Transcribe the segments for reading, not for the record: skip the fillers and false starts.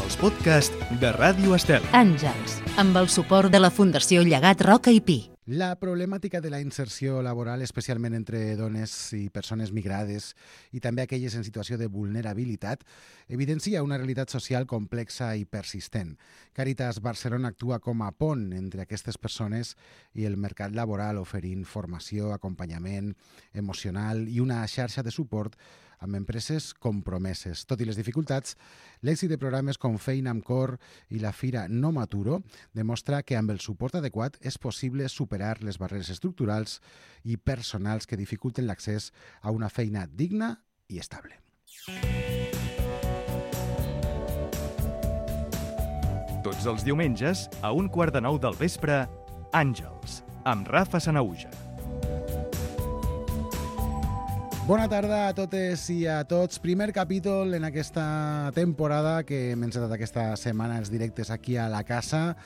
els podcasts de Ràdio Estel. Àngels, amb el suport de la Fundació Llegat Roca i Pi. La problemàtica de la inserció laboral, especialment entre dones i persones migrades i també aquelles en situació de vulnerabilitat, evidencia una realitat social complexa i persistent. Càritas Barcelona actua com a pont entre aquestes persones i el mercat laboral, oferint formació, acompanyament emocional i una xarxa de suport amb empreses compromeses. Tot i les dificultats, l'èxit de programes com Feina amb Cor i la Fira No M'Aturo demostra que amb el suport adequat és possible superar les barreres estructurals i personals que dificulten l'accés a una feina digna i estable. Tots els diumenges, a 8:45 del vespre, Àngels, amb Rafa Sanauja. Bona tarda a totes i a tots. Primer capítol en aquesta temporada que hem encetat aquesta setmana els directes aquí a la casa,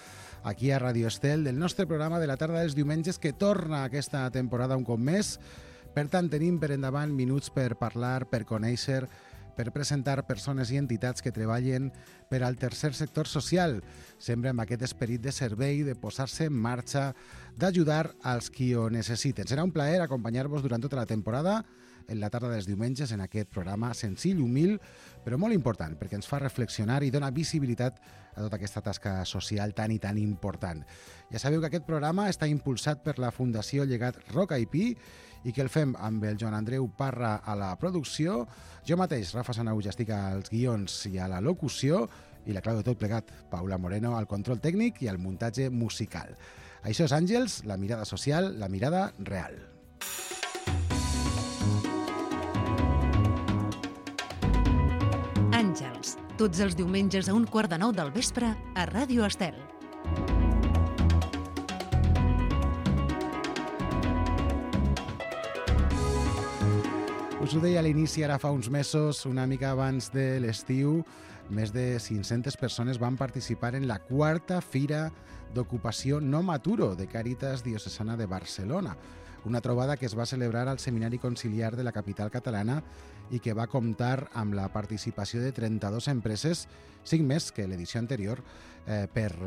aquí a Radio Estel, del nostre programa de la tarda dels diumenges que torna aquesta temporada un cop més. Per tant, tenim per endavant minuts per parlar, per conèixer, per presentar persones i entitats que treballen per al tercer sector social, sempre amb aquest esperit de servei, de posar-se en marxa, d'ajudar als qui ho necessiten. Serà un plaer acompanyar-vos durant tota la temporada en la tarda dels diumenges en aquest programa senzill, humil, però molt important, perquè ens fa reflexionar i dona visibilitat a tota aquesta tasca social tan i tan important. Ja sabeu que aquest programa està impulsat per la Fundació Llegat Roca i Pi i que el fem amb el Joan Andreu Parra a la producció, jo mateix, Rafa Sanauja, estic als guions i a la locució, i la clau de tot plegat, Paula Moreno, al control tècnic i al muntatge musical. Això és Àngels, la mirada social, la mirada real. Àngels, tots els diumenges a 8:45 del vespre a Ràdio Estel. Us ho deia a l'inici, ara fa uns mesos, una mica abans de l'estiu, més de 500 persones van participar en la 4ª Fira d'Ocupació No M'Aturo de Càritas Diocesana de Barcelona, una trobada que es va celebrar al Seminari Conciliar de la capital catalana i que va comptar amb la participació de 32 empreses, 5 més que l'edició anterior, per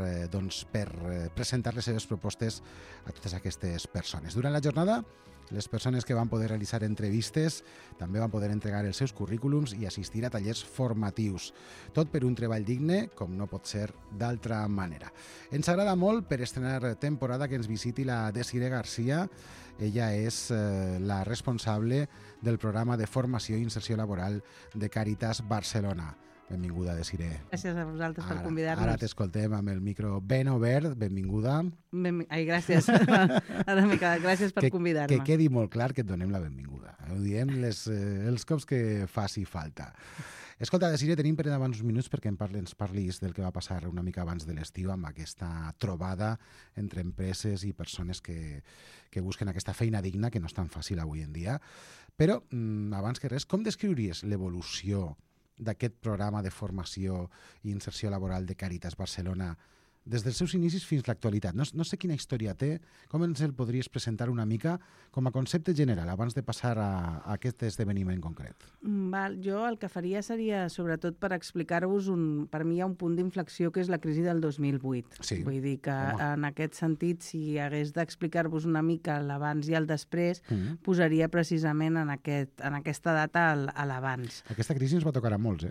presentar les seves propostes a totes aquestes persones. Durant la jornada, les persones que van poder realitzar entrevistes també van poder entregar els seus currículums i assistir a tallers formatius. Tot per un treball digne, com no pot ser d'altra manera. Ens agrada molt per estrenar temporada que ens visiti la Desiree Garcia. Ella és la responsable del programa de formació i inserció laboral de Càritas Barcelona. Benvinguda, Desiree. Gràcies a vosaltres per convidar-nos. Ara t'escoltem amb el micro ben obert. Benvinguda. Ai, gràcies. Ara m'he quedat. Gràcies per convidar-me. Que quedi molt clar que et donem la benvinguda. Ho diem els cops que faci falta. Escolta, Desiree, tenim per endavant uns minuts perquè ens parlis del que va passar una mica abans de l'estiu amb aquesta trobada entre empreses i persones que busquen aquesta feina digna, que no és tan fàcil avui en dia. Però, abans que res, com descriuries l'evolució d'aquest programa de formació i inserció laboral de Càritas Barcelona des dels seus inicis fins a l'actualitat? No sé quina història té, com ens el podries presentar una mica com a concepte general abans de passar a aquest esdeveniment concret? Jo el que faria seria, sobretot, per explicar-vos, per mi hi ha un punt d'inflexió que és la crisi del 2008. Sí. Vull dir que en aquest sentit, si hagués d'explicar-vos una mica l'abans i el després, posaria precisament en aquesta data l'abans. Aquesta crisi ens va tocar a molts,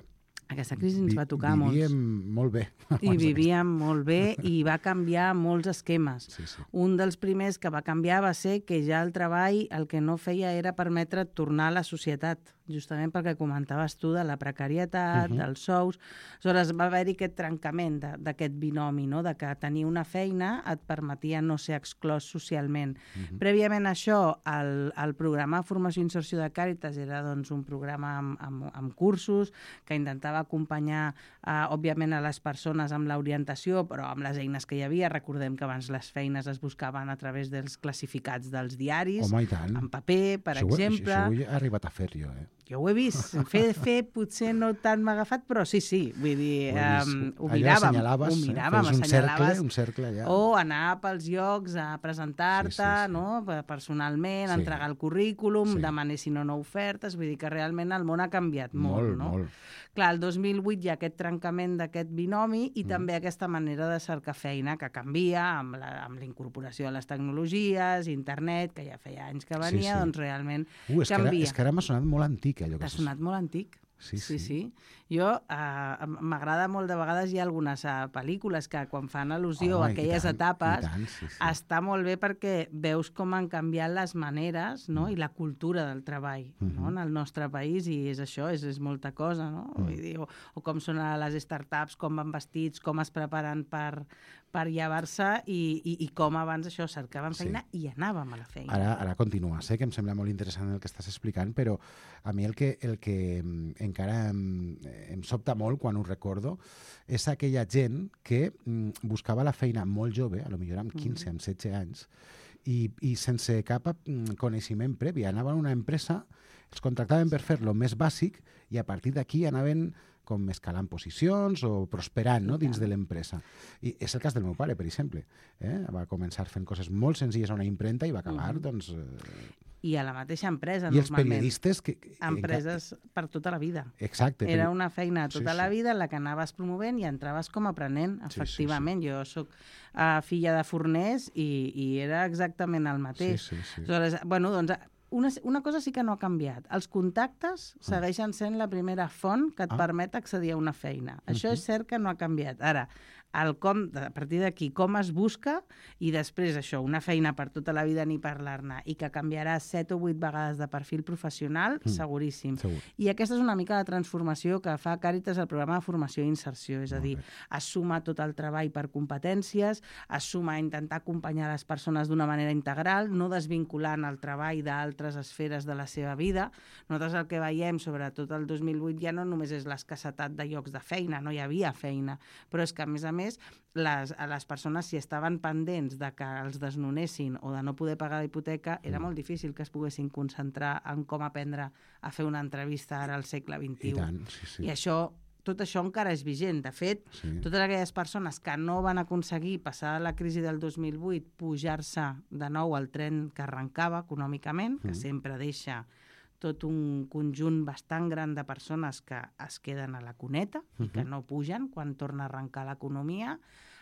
Aquesta crisi ens va tocar a molts. Vivíem molt bé. I vivíem molt bé i va canviar molts esquemes. Sí. Un dels primers que va canviar va ser que ja el treball el que no feia era permetre tornar a la societat, justament perquè comentaves tu de la precarietat, dels sous. Aleshores va haver-hi aquest trencament d'aquest binomi, no? De que tenir una feina et permetia no ser exclòs socialment. Prèviament a això, el programa de formació i inserció de Càritas era doncs, un programa amb cursos que intentava acompanyar, òbviament, a les persones amb l'orientació, però amb les eines que hi havia. Recordem que abans les feines es buscaven a través dels classificats dels diaris, Home, i tant. en paper, per exemple. Això ho he arribat a fer jo, Jo ho he vist. Fer potser no tant m'ha agafat, però sí, vull dir, ho miràvem. Assenyalaves. Un cercle allà. O anar pels llocs a presentar-te, no? Personalment, entregar el currículum, demanessin o no ofertes, vull dir que realment el món ha canviat molt, no? Molt. Clar, el 2008 hi ha aquest trencament d'aquest binomi i també aquesta manera de cercar feina que canvia amb la incorporació de les tecnologies, internet, que ja feia anys que venia, doncs realment canvia. És que ara m'ha sonat molt antic, allò que t'ha sonat molt antic. Sí. Jo, m'agrada molt, de vegades hi ha algunes pel·lícules que quan fan al·lusió a aquelles etapes, està molt bé perquè veus com han canviat les maneres, no? I la cultura del treball, no? En el nostre país, i és això, és molta cosa, no? Vull dir, o com són les startups, com van vestits, com es preparen per llevar-se i com abans això cercaven feina i anàvem a la feina. Ara continua, sé que em sembla molt interessant el que estàs explicant, però a mi el que encara em sobta molt quan ho recordo és aquella gent que buscava la feina molt jove, a lo millor amb 15, amb 16 anys, i sense cap coneixement previ. Anaven a una empresa, els contractaven per fer lo més bàsic i a partir d'aquí anaven com escalant posicions o prosperant, no? Dins de l'empresa. I és el cas del meu pare, per exemple. Va començar fent coses molt senzilles a una impremta i va acabar, doncs... I a la mateixa empresa, I normalment. Els periodistes... Empreses per tota la vida. Exacte. Era una feina tota la vida en la que anaves promovent i entraves com a aprenent, efectivament. Jo soc filla de forners i era exactament el mateix. Aleshores, bueno, doncs... Una cosa sí que no ha canviat. Els contactes segueixen sent la primera font que et permet accedir a una feina. Això és cert que no ha canviat. Ara, a partir d'aquí, com es busca, i després això, una feina per tota la vida ni parlar-ne, i que canviarà 7 o 8 vegades de perfil professional, seguríssim. I aquesta és una mica la transformació que fa Càritas al programa de formació i inserció, és a dir, es suma tot el treball per competències, es suma a intentar acompanyar les persones d'una manera integral, no desvinculant el treball d'altres esferes de la seva vida. Nosaltres el que veiem, sobretot el 2008, ja no només és l'escassetat de llocs de feina, no hi havia feina, però és que, a més, les persones, si estaven pendents de que els desnonessin o de no poder pagar la hipoteca, era molt difícil que es poguessin concentrar en com aprendre a fer una entrevista ara al segle XXI. I tant, I tot això encara és vigent. De fet, totes aquelles persones que no van aconseguir, passar la crisi del 2008, pujar-se de nou al tren que arrencava econòmicament, que sempre deixa tot un conjunt bastant gran de persones que es queden a la cuneta i que no pugen quan torna a arrencar l'economia.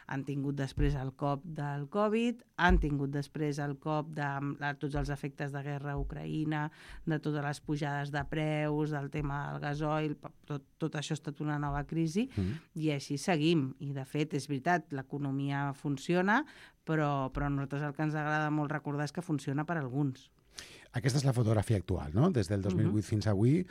Han tingut després el cop del Covid, han tingut després el cop de tots els efectes de guerra a Ucraïna, de totes les pujades de preus, del tema del gasoil, tot això ha estat una nova crisi i així seguim. I de fet, és veritat, l'economia funciona, però a nosaltres el que ens agrada molt recordar és que funciona per a alguns. Aquesta és la fotografia actual, no? Des del 2008 fins avui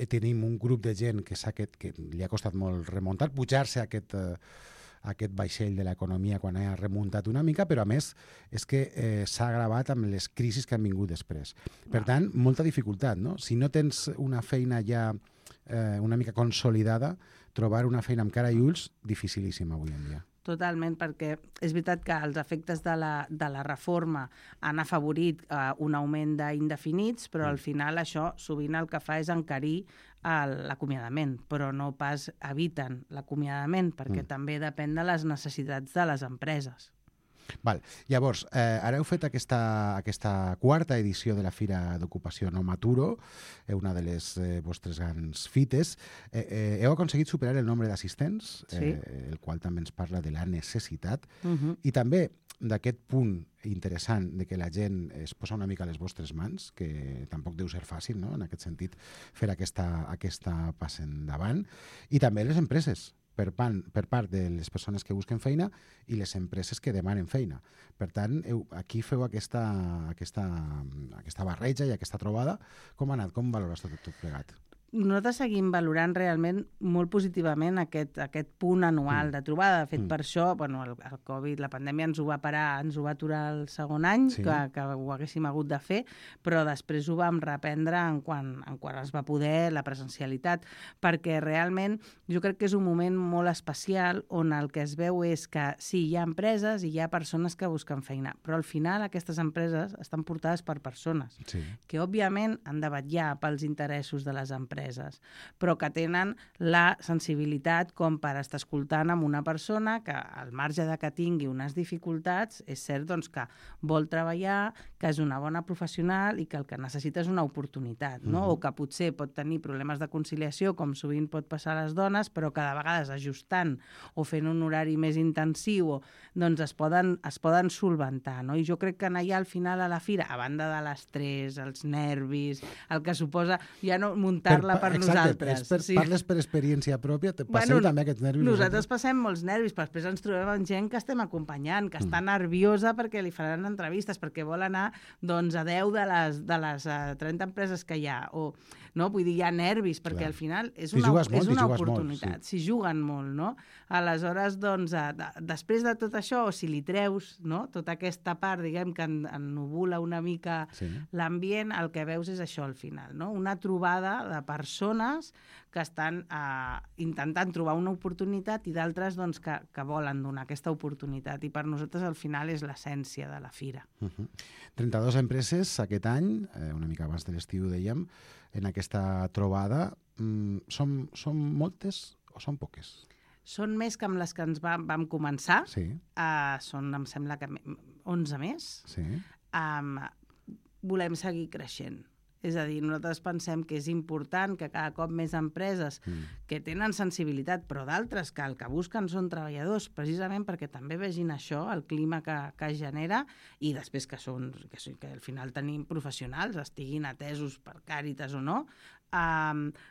tenim un grup de gent que li ha costat molt remuntar, pujar-se a aquest vaixell de l'economia quan ha remuntat una mica, però a més és que s'ha agravat amb les crisis que han vingut després. Per tant, molta dificultat, no? Si no tens una feina ja una mica consolidada, trobar una feina amb cara i ulls, dificilíssim avui en dia. Totalment, perquè és veritat que els efectes de la reforma han afavorit un augment d'indefinits, però al final això sovint el que fa és encarir l'acomiadament, però no pas eviten l'acomiadament, perquè també depèn de les necessitats de les empreses. Val. Llavors, ara heu fet aquesta quarta edició de la Fira d'Ocupació No M'Aturo, una de les vostres grans fites. Heu aconseguit superar el nombre d'assistents, el qual també ens parla de la necessitat, i també d'aquest punt interessant de que la gent es posa una mica a les vostres mans, que tampoc deu ser fàcil, no?, en aquest sentit, fer aquesta passa endavant, i també les empreses, per part de les persones que busquen feina i les empreses que demanen feina. Per tant, aquí feu aquesta barreja i aquesta trobada. Com ha anat? Com valores tot plegat? nosaltres seguim valorant realment molt positivament aquest punt anual de trobada. De fet, per això, el Covid, la pandèmia ens ho va parar, ens ho va aturar el segon any, que ho haguéssim hagut de fer, però després ho vam reprendre en quan es va poder la presencialitat, perquè realment jo crec que és un moment molt especial on el que es veu és que sí, hi ha empreses i hi ha persones que busquen feina, però al final aquestes empreses estan portades per persones que, òbviament, han de vetllar pels interessos de les empreses, però que tenen la sensibilitat com per estar escoltant amb una persona que, al marge de que tingui unes dificultats, és cert doncs, que vol treballar, que és una bona professional i que el que necessita és una oportunitat, no? O que potser pot tenir problemes de conciliació, com sovint pot passar a les dones, però que de vegades ajustant o fent un horari més intensiu doncs es poden solventar, no? I jo crec que allà al final a la fira, a banda de l'estrès, els nervis, el que suposa ja no muntar-la per nosaltres. Parles per experiència pròpia, passeu també aquests nervis? Nosaltres passem molts nervis, però després ens trobem amb gent que estem acompanyant, que està nerviosa perquè li faran entrevistes, perquè vol anar doncs, a 10 de les 30 empreses que hi ha. Vull dir, hi ha nervis, perquè al final és una oportunitat. Si juguen molt, no? Aleshores, doncs, després de tot això, o si li treus tota aquesta part, diguem, que ennubula una mica l'ambient, el que veus és això al final, no? Una trobada de persones que estan intentant trobar una oportunitat i d'altres doncs, que volen donar aquesta oportunitat. I per nosaltres al final és l'essència de la fira. 32 empreses aquest any, una mica abans de l'estiu dèiem, en aquesta trobada. Són moltes o són poques? Són més que amb les que ens vam començar. Són, em sembla que 11 més. Volem seguir creixent. És a dir, nosaltres pensem que és important que cada cop més empreses que tenen sensibilitat, però d'altres que el que busquen són treballadors, precisament perquè també vegin això, el clima que genera, i després que al final tenim professionals, estiguin atesos per Càritas o no,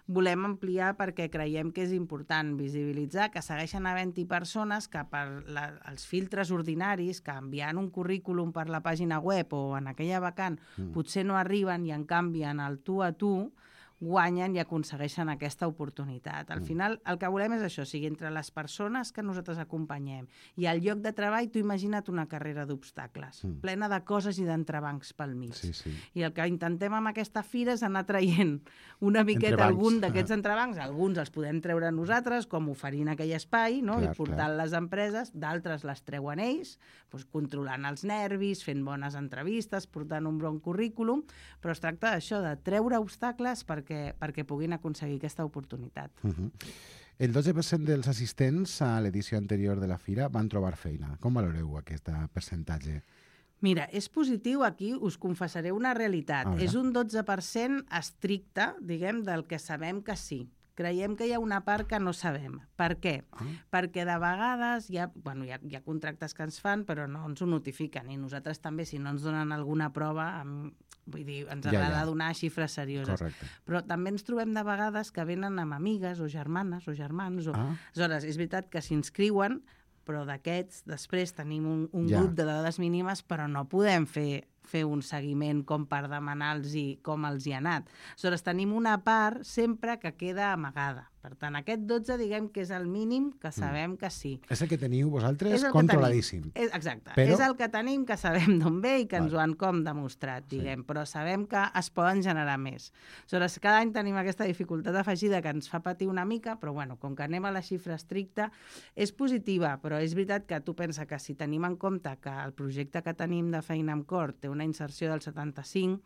volem ampliar perquè creiem que és important visibilitzar que segueixen havent-hi persones que per els filtres ordinaris, que enviant un currículum per la pàgina web o en aquella vacant potser no arriben i en canvi en el tu a tu guanyen i aconsegueixen aquesta oportunitat. Al final, el que volem és això, o sigui, entre les persones que nosaltres acompanyem i al lloc de treball, tu imagina't una carrera d'obstacles, plena de coses i d'entrebancs pel mig. I el que intentem amb aquesta fira és anar traient una miqueta algun d'aquests entrebancs, alguns els podem treure nosaltres, com oferint aquell espai, i portant les empreses, d'altres les treuen ells, controlant els nervis, fent bones entrevistes, portant un bon currículum, però es tracta d'això, de treure obstacles perquè puguin aconseguir aquesta oportunitat. El 12% dels assistents a l'edició anterior de la fira van trobar feina. Com valoreu aquest percentatge? Mira, és positiu aquí, us confessaré una realitat. És un 12% estricte, diguem, del que sabem que sí. Creiem que hi ha una part que no sabem. Per què? Perquè de vegades hi ha contractes que ens fan, però no ens ho notifiquen. I nosaltres també, si no ens donen alguna prova, vull dir, ens agrada donar xifres serioses. Correcte. Però també ens trobem de vegades que venen amb amigues o germanes o germans. Aleshores, és veritat que s'inscriuen, però d'aquests després tenim un grup de dades mínimes, però no podem fer un seguiment com per demanar-los com els hi ha anat. Aleshores, tenim una part sempre que queda amagada. Per tant, aquest 12 diguem que és el mínim que sabem que sí. És el que teniu vosaltres controladíssim. Exacte. És el que tenim, que sabem d'on ve i que ens ho han com demostrat, diguem. Però sabem que es poden generar més. Aleshores, cada any tenim aquesta dificultat afegida que ens fa patir una mica, però com que anem a la xifra estricta, és positiva, però és veritat que tu pensa que si tenim en compte que el projecte que tenim de Feina amb Cor té una inserció del 75,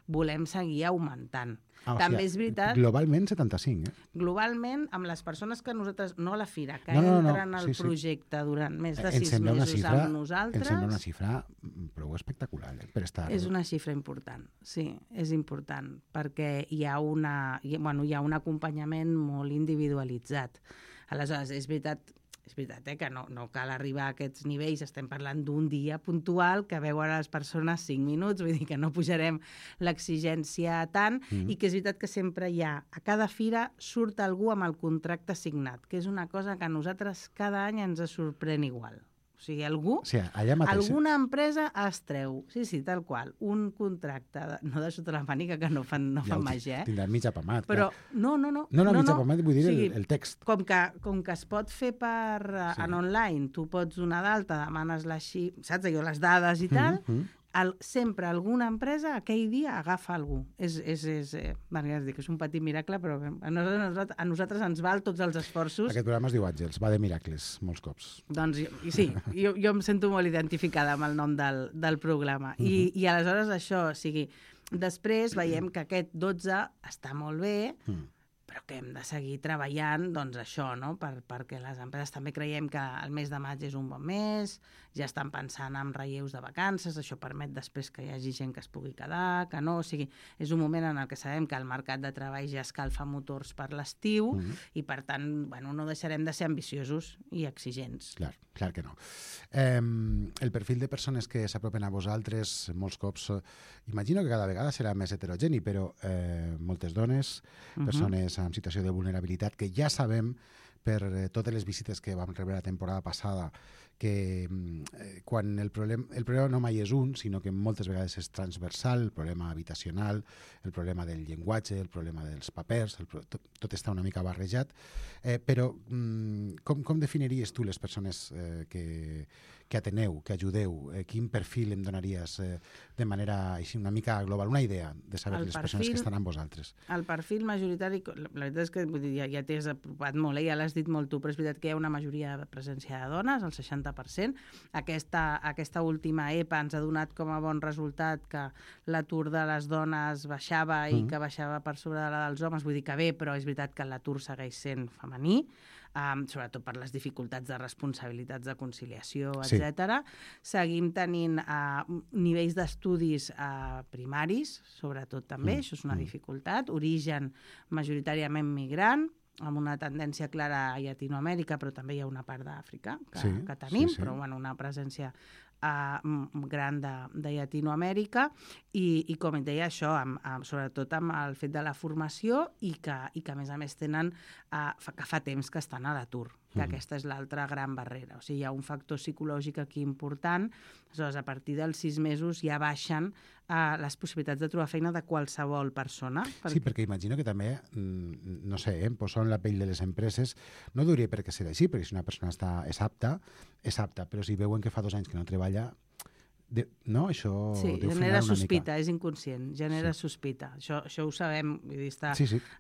volem seguir augmentant. També és veritat... Globalment 75, Globalment, amb les persones que nosaltres... No a la fira, que entren al projecte durant més de 6 mesos amb nosaltres... Em sembla una xifra prou espectacular, per estar... És una xifra important, sí, és important, perquè hi ha un acompanyament molt individualitzat. Aleshores, és veritat que no cal arribar a aquests nivells, estem parlant d'un dia puntual que veuen les persones 5 minuts, vull dir que no pujarem l'exigència tant, i que és veritat que sempre hi ha, a cada fira surt algú amb el contracte signat, que és una cosa que a nosaltres cada any ens sorprèn igual. O O sigui, algú... Sí, allà mateix. Alguna empresa es treu, sí, tal qual, un contracte, no de sota la màniga, que no fan màgia, Tindrà mig apamat. Però no. No, mig apamat, vull dir el text. Com que es pot fer en online, tu pots donar d'alta, demanes saps allò, les dades i tal, sempre alguna empresa aquell dia agafa algú. És un petit miracle, però a nosaltres ens val tots els esforços. Aquest programa es diu Àngels, va de miracles, molts cops. Doncs sí, jo em sento molt identificada amb el nom del programa. I aleshores això, o sigui, després veiem que aquest 12 està molt bé, però que hem de seguir treballant, doncs això, no? Perquè les empreses també creiem que el mes de maig és un bon mes, ja estan pensant en relleus de vacances, això permet després que hi hagi gent que es pugui quedar, que no, o sigui, és un moment en el que sabem que el mercat de treball ja escalfa motors per l'estiu i, per tant, no deixarem de ser ambiciosos i exigents. Clar que no. El perfil de persones que s'apropen a vosaltres, molts cops, imagino que cada vegada serà més heterogeni, però moltes dones, persones en situació de vulnerabilitat, que ja sabem per totes les visites que vam rebre la temporada passada que quan el problema no mai és un, sinó que moltes vegades és transversal, el problema habitacional, el problema del llenguatge, el problema dels papers, tot està una mica barrejat, però com definiries tu les persones que ateneu, que ajudeu? Quin perfil em donaries de manera així una mica global, una idea de saber les persones que estan amb vosaltres? El perfil majoritari, la veritat és que ja t'hi has apropat molt, ja l'has dit molt tu, però és veritat que hi ha una majoria de presència de dones, el 60%. Aquesta última EPA ens ha donat com a bon resultat que l'atur de les dones baixava i que baixava per sobre de la dels homes, vull dir que bé, però és veritat que l'atur segueix sent femení, sobretot per les dificultats de responsabilitats de conciliació, etc. Seguim tenint nivells d'estudis primaris, sobretot també, això és una dificultat, origen majoritàriament migrant, amb una tendència clara a Llatinoamèrica, però també hi ha una part d'Àfrica que tenim, però una presència gran de Llatinoamèrica i com et deia, això, sobretot amb el fet de la formació i que a més a més tenen que fa temps que estan a l'atur, que aquesta és l'altra gran barrera. O sigui, hi ha un factor psicològic aquí important, aleshores a partir dels 6 mesos ja baixen les possibilitats de trobar feina de qualsevol persona. Sí, perquè imagino que també, no sé, em poso en la pell de les empreses, no diria perquè serà així, perquè si una persona és apta, però si veuen que fa 2 anys que no treballa, no? Això deu genera frenar una sospita, mica. És inconscient, genera sospita. Això ho sabem, vull dir,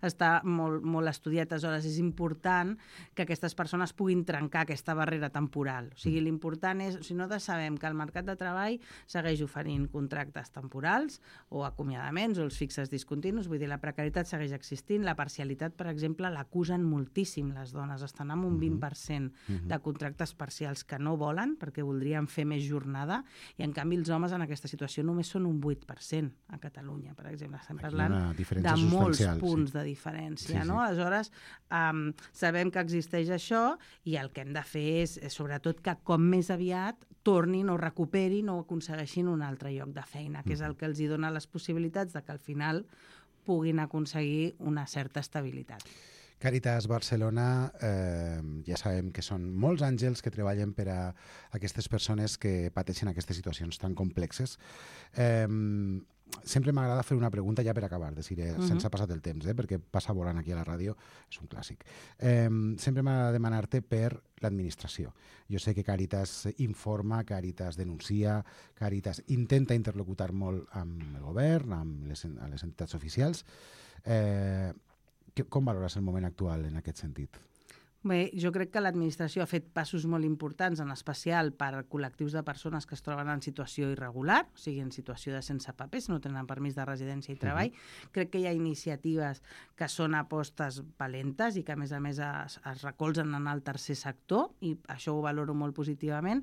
està molt estudiat, aleshores és important que aquestes persones puguin trencar aquesta barrera temporal. O sigui, l'important és, si no sabem que el mercat de treball segueix oferint contractes temporals o acomiadaments o els fixes discontinus, vull dir, la precarietat segueix existint, la parcialitat, per exemple, l'acusen moltíssim les dones, estan amb un 20% de contractes parcials que no volen perquè voldrien fer més jornada i en canvi els homes en aquesta situació només són un 8% a Catalunya, per exemple. Estem parlant de molts punts de diferència, no? Aleshores, sabem que existeix això i el que hem de fer és sobretot que com més aviat tornin o recuperin o aconsegueixin un altre lloc de feina, que és el que els hi dona les possibilitats de que al final puguin aconseguir una certa estabilitat. Càritas Barcelona, ja sabem que són molts àngels que treballen per a aquestes persones que pateixen aquestes situacions tan complexes. Sempre m'agrada fer una pregunta ja per acabar, sense passar el temps, perquè passa volant aquí a la ràdio, és un clàssic. Sempre m'agrada demanar-te per l'administració. Jo sé que Càritas informa, Càritas denuncia, Càritas intenta interlocutar molt amb el govern, amb les entitats oficials. Com valores el moment actual en aquest sentit? Bé, jo crec que l'administració ha fet passos molt importants, en especial per col·lectius de persones que es troben en situació irregular, o sigui, en situació de sense papers, no tenen permís de residència i treball. Crec que hi ha iniciatives que són apostes valentes i que, a més es recolzen en el tercer sector, i això ho valoro molt positivament.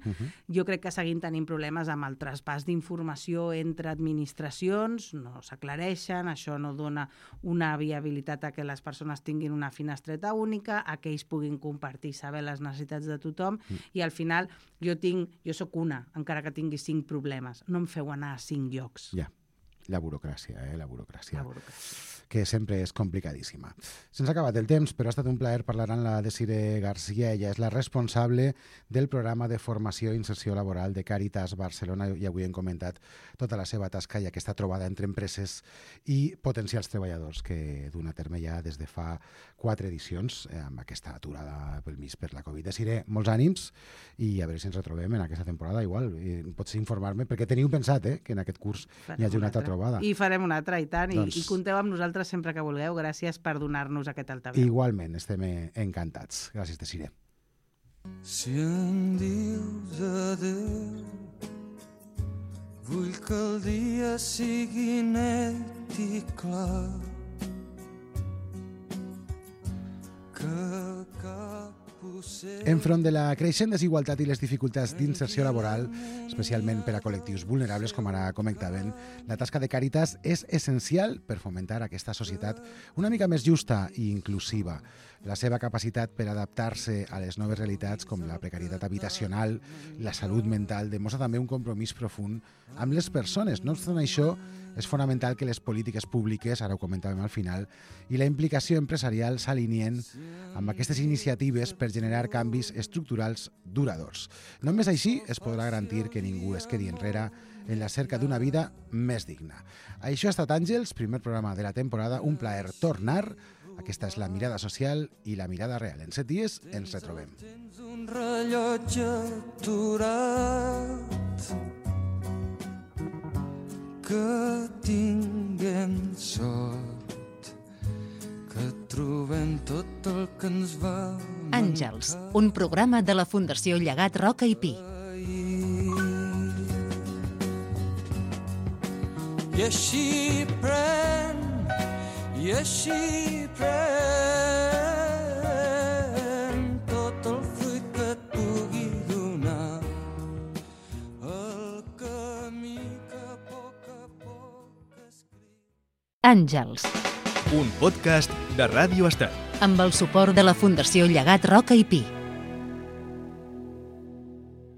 Jo crec que seguim tenint problemes amb el traspàs d'informació entre administracions, no s'aclareixen, això no dona una viabilitat a que les persones tinguin una finestreta única, a que ells puguin compartir, saber les necessitats de tothom i al final jo sóc una, encara que tingui 5 problemes. No em feu anar a 5 llocs. Ja, la burocràcia, la burocràcia. que sempre és complicadíssima. Se'ns ha acabat el temps, però ha estat un plaer parlar amb la Desiree García. Ella és la responsable del programa de formació i inserció laboral de Càritas Barcelona i avui hem comentat tota la seva tasca i aquesta trobada entre empreses i potencials treballadors que duen a terme ja des de fa 4 edicions amb aquesta aturada pel mig per la Covid. Desiree, molts ànims i a veure si ens retrobem en aquesta temporada igual. Pots informar-me, perquè teniu pensat que en aquest curs hi hagi una altra trobada. I farem una altra, i tant, doncs... i compteu amb nosaltres sempre que vulgueu. Gràcies per donar-nos aquest altaveu. Igualment, estem encantats. Gràcies, Desiree. Si em dius adeu, vull que el dia sigui net i clar, que cap enfront de la creixent desigualtat i les dificultats d'inserció laboral, especialment per a col·lectius vulnerables, com ara comentaven, la tasca de Càritas és essencial per fomentar aquesta societat una mica més justa i inclusiva. La seva capacitat per adaptar-se a les noves realitats, com la precarietat habitacional, la salut mental, demostra també un compromís profund amb les persones. No obstant això, és fonamental que les polítiques públiques, ara ho comentàvem al final, i la implicació empresarial s'alineen amb aquestes iniciatives per generar canvis estructurals duradors. Només així es podrà garantir que ningú es quedi enrere en la cerca d'una vida més digna. Això ha estat Àngels, primer programa de la temporada. Un plaer tornar. Aquesta és la mirada social i la mirada real. En 7 dies ens retrobem. Tens un rellotge aturat, que tinguem sort, que trobem tot el que ens va Àngels, un programa de la Fundació Llegat Roca i Pi. I així pren, i així pren tot el fruit que et pugui donar el camí que a poc escriu. Àngels, Un podcast de Ràdio Estat. amb el suport de la Fundació Llegat Roca i Pi.